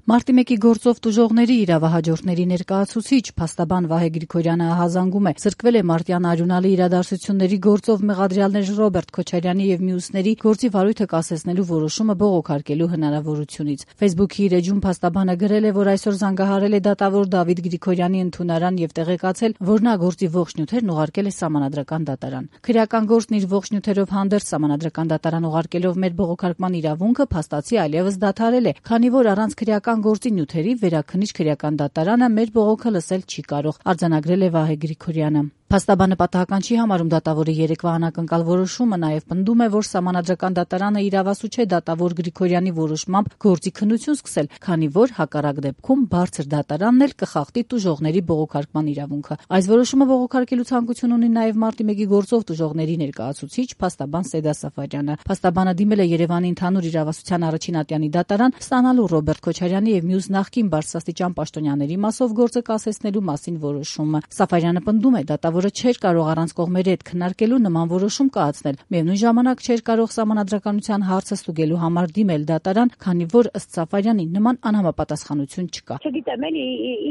Մարտի 1-ի գործով տուժողների իրավահաջորդների ներկայացուցիչ փաստաբան Վահե Գրիգորյանը հազանգում է, զրկվել է մարտյան արյունալի իրադարձությունների գործով մեղադրյալներ Ռոբերտ Քոչարյանի եւ մյուսների գործի վարույթը կասեցնելու որոշումը բողոքարկելու հնարավորությունից։ Facebook-ի իր էջում փաստաբանը գրել է, որ այսօր զանգահարել է դատավոր Դավիթ Գրիգորյանի ընդունարան եւ տեղեկացել, որ նա գործի ողջ նյութերն ուղարկել է Սահմանադրական դատարան։ Քրեական գործն իր ողջ նյութերով հանդերձ Սահմանադրական դատարան ուղարկելով մեր բողոքարկման իրավունքը փաստացի այլևս դադարել է, քանի որ առանց քրեական գործի նյութերի վերաքննիչ քրեական դատարանը մեր բողոքը լսել չի կարող, արձանագրել է Վահե Գրիգորյանը։ Փաստաբանը պատահական չի համարում դատավորի երեկվա անակնկալ որոշումը, նաև պնդում է, որ Սահմանադրական դատարանը իրավասու չէ դատավոր Գրիգորյանի որոշմամբ գործի քննություն սկսել, քանի որ հակառակ դեպքում բարձր դատարանն էլ կխախտի տուժողների բողոքարկման իրավունքը։ Այս որոշումը բողոքարկելու ցանկություն ունի նաև Մարտի 1-ի գործով տուժողների ներկայացուցիչ փաստաբան Սեդա Սաֆարյանը։ Փաստաբանը դիմել է Երևանի ընդհանուր իրավասության առաջին ատյանի դատարան, ստանալու Ռոբերտ Քոչարյանի եւ մյուս նախկին բարձրաստիճան պաշտոնյաների մասով գործը կասեցնելու մասին որոշումը։ Սաֆարյանը պնդում է, դատավորը չէր կարող առանց կողմերի հետ քննարկելու նման որոշում կայացնել։ Միևնույն ժամանակ չէր կարող Սահմանադրականության հարցը ստուգելու համար դիմել դատարան, քանի որ ըստ Սաֆարյանի նման անհամապատասխանություն չկա։ Չգիտեմ, էլի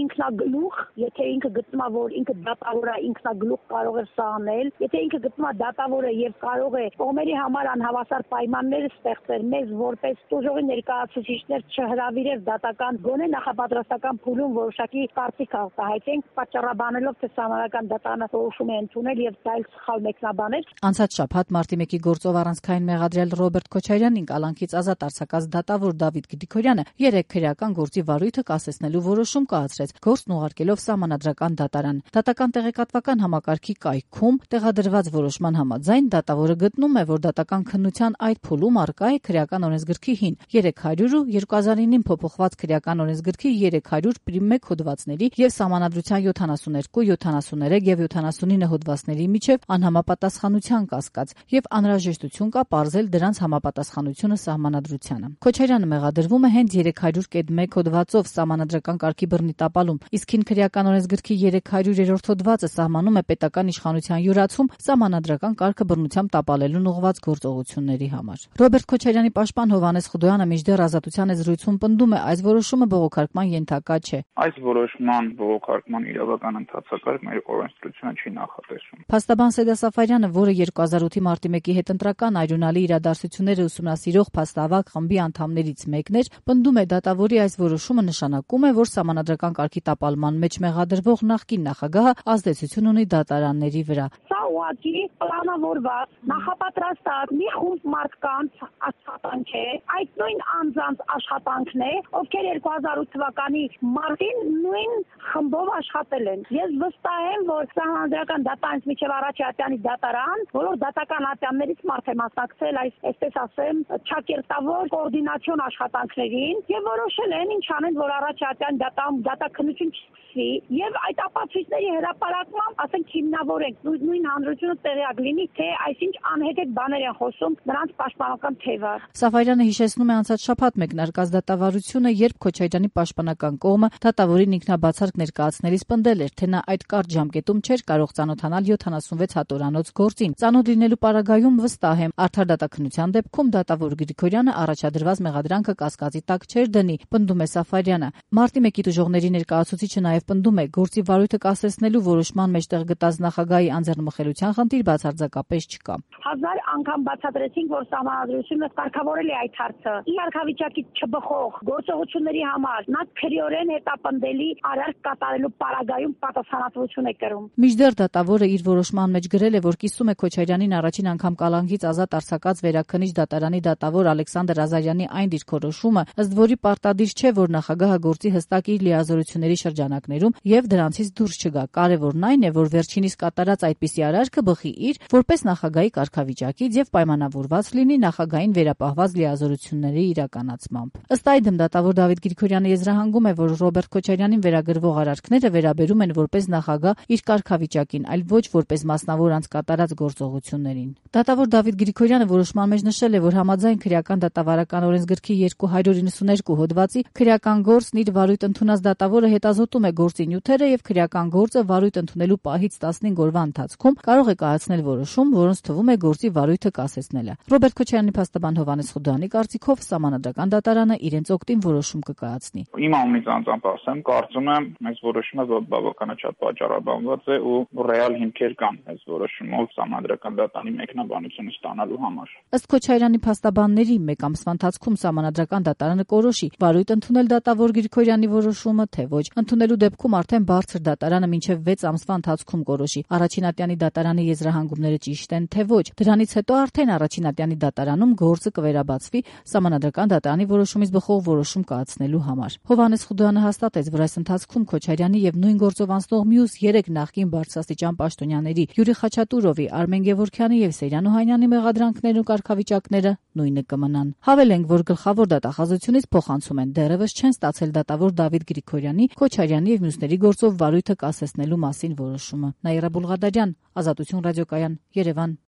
ինքնագլուխ, եթե ինքը գտնում է, որ ինքը դատավոր է, ինքնագլուխ կարող է սա անել, եթե ինքը գտնում է դատավոր է եւ կարող է կողմերի համար անհավասար պայմաններ ստեղծել, մեզ որպես տուժողի ներկայացուցիչներ չհրավիրել դատական գոնե նախապատրաստական փուլում որոշակի կարծիք արտահայտենք, պատճառաբանելով թե Սահմանադրական դատարանը որոշում է ընդունել եւ դա էլ սխալ մեկնաբաներ։ Անցած շաբաթ Մարտի 1-ի գործով առանցքային մեղադրյալ Ռոբերտ Քոչարյանին կալանքից ազատ արձակած դատավոր Դավիթ Գրիգորյանը 3 քրեական գործի վարույթը կասեցնելու որոշում կայացրեց, գործն ուղարկելով Սահմանադրական դատարան։ Դատական տեղեկատվական համակարգի կայքում տեղադրված որոշման համաձայն դատավորը գտնում է, որ դատական քննության այդ փուլում առկա է քրեական օրենսգրքի 300 ու 2009-ին փոփոխված քրեական օրենսգրքի 300-1 հոդվածների եւ Սահմանադրության 72, 73 եւ 79 հոդվածների միջև անհամապատասխանության կասկած եւ անհրաժեշտություն կա պարզել դրանց համապատասխանությունը Սահմանադրությանը։ Քոչարյանը մեղադրվում է հենց 300-1 հոդվածով Սահմանադրական կարգի բռնի տապալում, իսկ քրեական օրենսգրքի 300-րդ հոդվածը սահմանում է պետական իշխանության յուրացում Սահմանադրական կարգը բռնությամբ տապալելուն ուղղված գործողությունների համար։ Ռոբերտ Քոչարյանի պաշտպան Հովհաննես Խուդոյանը մինչդեռ Ազատության զրույցում պնդում է, այս որոշումը բողոքարկման ենթակա չէ։ Այս որոշման բողոքարկման իրավական ընթացակարգ մեր օրենսդրությունը չի նախատեսում։ Փաստաբան Սեդա Սաֆարյանը, որը 2008-ի Մարտի 1-ի հետ ընտրական արյունալի իրադարձությունները ուսումնասիրող փաստավակ խմբի անդամներից մեկն էր, պնդում է դատավորի այս որոշումը նշանակում է, որ Սահմանադրական կարգի տապալման մեջ մեղադրվող նախկին նախագահը ազդեցություն ունի դատարանների վրա։ Սա ուղղակի պլանավորված, նախապատրաստած մի խումբ մարդկանց աշխատանք է, այդ նույն անձանց աշխատանքն է, ովքեր 2008 թվականի մարտին նույն խմբով աշխատել են։ Ես վստահ եմ, որ Սահմանադրական դատարանից մինչև առաջի ատյանի դատարան, բոլոր դատական ատյաններից մարդ է մասնակցել այսպես ասեմ, ճակերտավոր կոորդինացիոն աշխատանքներին եւ որոշել են ինչ անեն, որ առաջի ատյան դատաքննություն չսկսվի եւ այդ ապացույցների հրապարակմամբ, ասենք, հիմնավորենք նույն հանրությունը տեղյակ լինի, թե այսինչ անհետեթ բաներ են խոսում նրանց պաշտպանական թևը։ Սաֆարյանը հիշեցնում է անցած շաբաթ մեկնարկած դատավարությունը, երբ Քոչարյանի պաշտպանական կողմը դատավորին ինքնաբացարկ ներկայացնելիս պնդել էր, թե նա այդ կարճ ժամկետում չէր կարող ծանոթանալ 76 հատորանոց գործին։ Ծանոթ լինելու պարագայում վստահ եմ, արդար դատաքննության դեպքում դատավոր Գրիգորյանը առաջադրված մեղադրանքը կասկածի տակ չէր դնի, պնդում է Սաֆարյանը։ Մարտի 1-ի տուժողների ներկայացուցիչը նաև պնդում է, գործի վարույթը կասեցնելու որոշման մեջտեղ գտած նախագահի անձեռնմխելիության խնդիր բացարձակապես չկա։ 1000 անգամ բացատրեցինք, որ Սահմանադրությունը կարգավորել է այդ հարցը։ Ի կարգավիճակի չբխող գործողությունների համար նա քրեորեն հետապնդելի արարք կատարելու պարագայում պատասխանատվություն է կրում։ Մինչդեռ դատավորը իր որոշման մեջ գրել է, որ կիսում է Քոչարյանին առաջին անգամ կալանքից ազատ արձակած վերաքննիչ դատարանի դատավոր Ալեքսանդր Ազարյանի այն դիրքորոշումը, ըստ որի պարտադիր չէ, որ նախագահը գործի հստակ իր լիազորությունների շրջանակներում եւ դրանցից դուրս չգա։ Կարևորն այն է, որ վերջինիս կատարած այդպիսի արարքը բխի իր որպես նախագահի կարգավիճակից եւ պայմանավորված լինի նախագահային վերապահված լիազորությունների իրականացմամբ։ Ըստ այդմ դատավոր Դավիթ Գրիգորյանը եզրահանգում է, որ Ռոբերտ Քոչարյանին վերագրվող արարքները վերաբերում են որպես նախագահ իր կարգավիճակի կարգավիճակին, այլ ոչ որպես մասնավոր անձ կատարած գործողություններին։ Դատավոր Դավիթ Գրիգորյանը որոշման մեջ նշել է, որ համաձայն քրեական դատավարական օրենսգրքի 292 հոդվածի քրեական գործն իր վարույթ ընդունած դատավորը հետազոտում է գործի նյութերը եւ քրեական գործը վարույթ ընդունելու պահից 15 օրվա ընթացքում կարող է կայացնել որոշում, որոնց թվում է գործի վարույթը կասեցնելը։ Ռոբերտ Քոչարյանի փաստաբան Հովհաննես Խուդյանի կարծիքով Սահմանադրական դատարանը իրենց օգտին որոշում կկայացնի։ Իմ անունից անձամբ ասեմ, կարծում եմ, այս որոշումը բավականաչափ պատճառաբանված է ու ռեալ հիմքեր կան այս որոշումով Սահմանադրական դատարանի մեկնաբանությունը ստանալու համար։ Ըստ Քոչարյանի փաստաբանների, մեկ ամսվա ընթացքում Սահմանադրական դատարանը կորոշի վարույթ ընդունել դատավոր Գրիգորյանի որոշումը, թե ոչ։ Ընդունելու դեպքում արդեն բարձր դատարանը մինչև 6 ամսվա ընթացքում կորոշի առաջին ատյանի դատարանի եզրահանգումները ճիշտ են, թե ոչ։ Դրանից հետո արդեն առաջին ատյանի դատարանում գործը կվերաբացվի Սահմանադրական դատարանի որոշումից բխող որոշում կայացնելու համար։ Հովհաննես Խուդյանը հաստատեց, որ այս ընթացքում Քոչարյանի եւ նույն գործով անցնող մյուս 3 նախկին բարձրաստիճան պաշտոնյաների Յուրի Խաչատուրովի, Արմեն Գևորգյանի եւ Սեյրան Օհանյանի մեղադրանքներն ու կարգավիճակները նույնը կմնան։ Հավելենք, որ գլխավոր դատախազությունից փոխանցում են դեռևս չեն ստացել դատավոր Դավիթ Գրիգորյանի, Քոչարյանի եւ մյուսների գործով վարույթը կասեցնելու մասին որոշումը։ Նաիրա Բուլղադարյան, Ազատություն ռադիոկայան, Երևան։